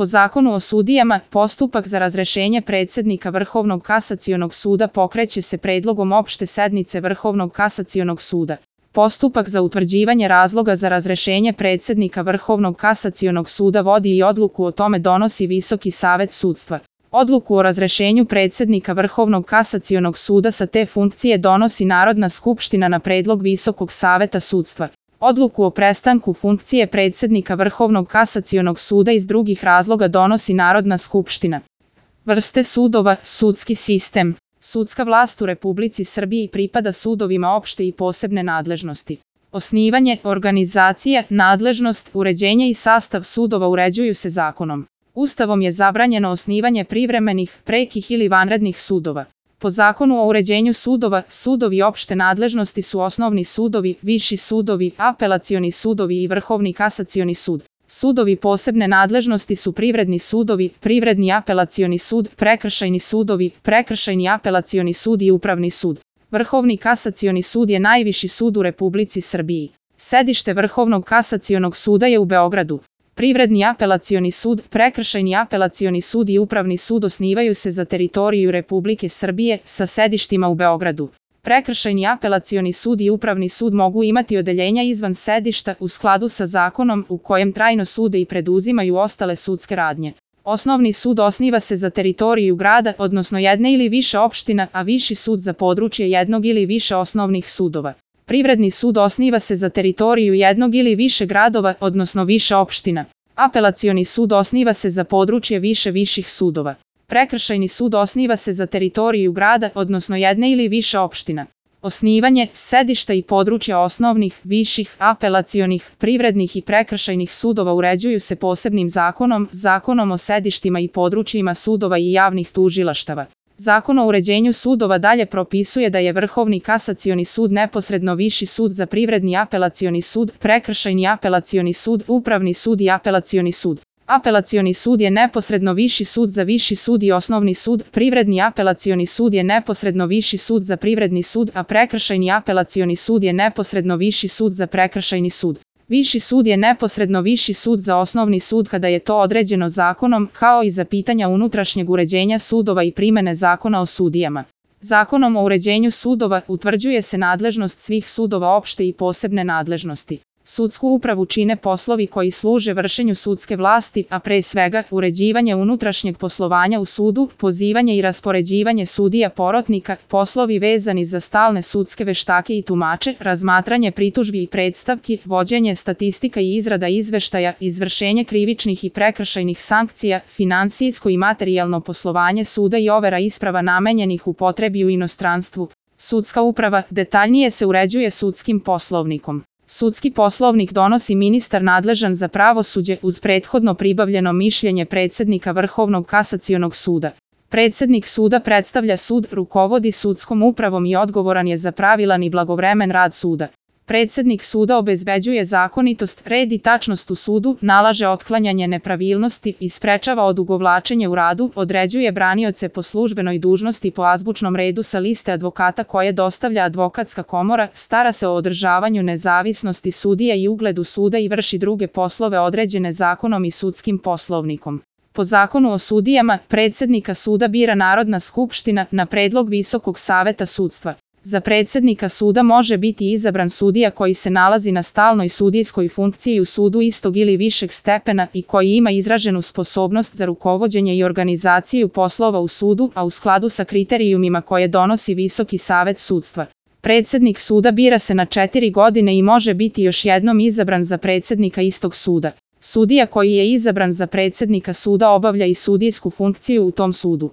Po Zakonu o sudijama, postupak za razrešenje predsednika Vrhovnog kasacionog suda pokreće se predlogom opšte sednice Vrhovnog kasacionog suda. Postupak za utvrđivanje razloga za razrešenje predsednika Vrhovnog kasacionog suda vodi i odluku o tome donosi Visoki savet sudstva. Odluku o razrešenju predsednika Vrhovnog kasacionog suda sa te funkcije donosi Narodna skupština na predlog Visokog saveta sudstva. Odluku o prestanku funkcije predsednika Vrhovnog kasacionog suda iz drugih razloga donosi Narodna skupština. Vrste sudova, sudski sistem. Sudska vlast u Republici Srbiji pripada sudovima opšte i posebne nadležnosti. Osnivanje, organizacija, nadležnost, uređenje i sastav sudova uređuju se zakonom. Ustavom je zabranjeno osnivanje privremenih, prekih ili vanrednih sudova. Po Zakonu o uređenju sudova, sudovi opšte nadležnosti su osnovni sudovi, viši sudovi, apelacioni sudovi i Vrhovni kasacioni sud. Sudovi posebne nadležnosti su privredni sudovi, privredni apelacioni sud, prekršajni sudovi, prekršajni apelacioni sud i upravni sud. Vrhovni kasacioni sud je najviši sud u Republici Srbiji. Sedište Vrhovnog kasacionog suda je u Beogradu. Privredni apelacioni sud, prekršajni apelacioni sud i upravni sud osnivaju se za teritoriju Republike Srbije sa sedištima u Beogradu. Prekršajni apelacioni sud i upravni sud mogu imati odeljenja izvan sedišta u skladu sa zakonom u kojem trajno sude i preduzimaju ostale sudske radnje. Osnovni sud osniva se za teritoriju grada, odnosno jedne ili više opština, a viši sud za područje jednog ili više osnovnih sudova. Privredni sud osniva se za teritoriju jednog ili više gradova, odnosno više opština. Apelacioni sud osniva se za područje više viših sudova. Prekršajni sud osniva se za teritoriju grada, odnosno jedne ili više opština. Osnivanje, sedišta i područja osnovnih, viših, apelacionih, privrednih i prekršajnih sudova uređuju se posebnim zakonom, Zakonom o sedištima i područjima sudova i javnih tužilaštava. Zakon o uređenju sudova dalje propisuje da je Vrhovni kasacioni sud neposredno viši sud za privredni apelacioni sud, prekršajni apelacioni sud, upravni sud i apelacioni sud. Apelacioni sud je neposredno viši sud za viši sud i osnovni sud, privredni apelacioni sud je neposredno viši sud za privredni sud, a prekršajni apelacioni sud je neposredno viši sud za prekršajni sud. Viši sud je neposredno viši sud za osnovni sud kada je to određeno zakonom, kao i za pitanja unutrašnjeg uređenja sudova i primene Zakona o sudijama. Zakonom o uređenju sudova utvrđuje se nadležnost svih sudova opšte i posebne nadležnosti. Sudsku upravu čine poslovi koji služe vršenju sudske vlasti, a pre svega uređivanje unutrašnjeg poslovanja u sudu, pozivanje i raspoređivanje sudija porotnika, poslovi vezani za stalne sudske veštake i tumače, razmatranje pritužbi i predstavki, vođenje statistika i izrada izveštaja, izvršenje krivičnih i prekršajnih sankcija, finansijsko i materijalno poslovanje suda i overa isprava namenjenih upotrebi u inostranstvu. Sudska uprava detaljnije se uređuje sudskim poslovnikom. Sudski poslovnik donosi ministar nadležan za pravosuđe uz prethodno pribavljeno mišljenje predsednika Vrhovnog kasacionog suda. Predsednik suda predstavlja sud, rukovodi sudskom upravom i odgovoran je za pravilan i blagovremen rad suda. Predsednik suda obezbeđuje zakonitost, red i tačnost u sudu, nalaže otklanjanje nepravilnosti i sprečava odugovlačenje u radu, određuje branioce po službenoj dužnosti po azbučnom redu sa liste advokata koje dostavlja advokatska komora, stara se o održavanju nezavisnosti sudija i ugledu suda i vrši druge poslove određene zakonom i sudskim poslovnikom. Po Zakonu o sudijama, predsednika suda bira Narodna skupština na predlog Visokog saveta sudstva. Za predsednika suda može biti izabran sudija koji se nalazi na stalnoj sudijskoj funkciji u sudu istog ili višeg stepena i koji ima izraženu sposobnost za rukovođenje i organizaciju poslova u sudu, a u skladu sa kriterijumima koje donosi Visoki savet sudstva. Predsednik suda bira se na 4 godine i može biti još jednom izabran za predsednika istog suda. Sudija koji je izabran za predsednika suda obavlja i sudijsku funkciju u tom sudu.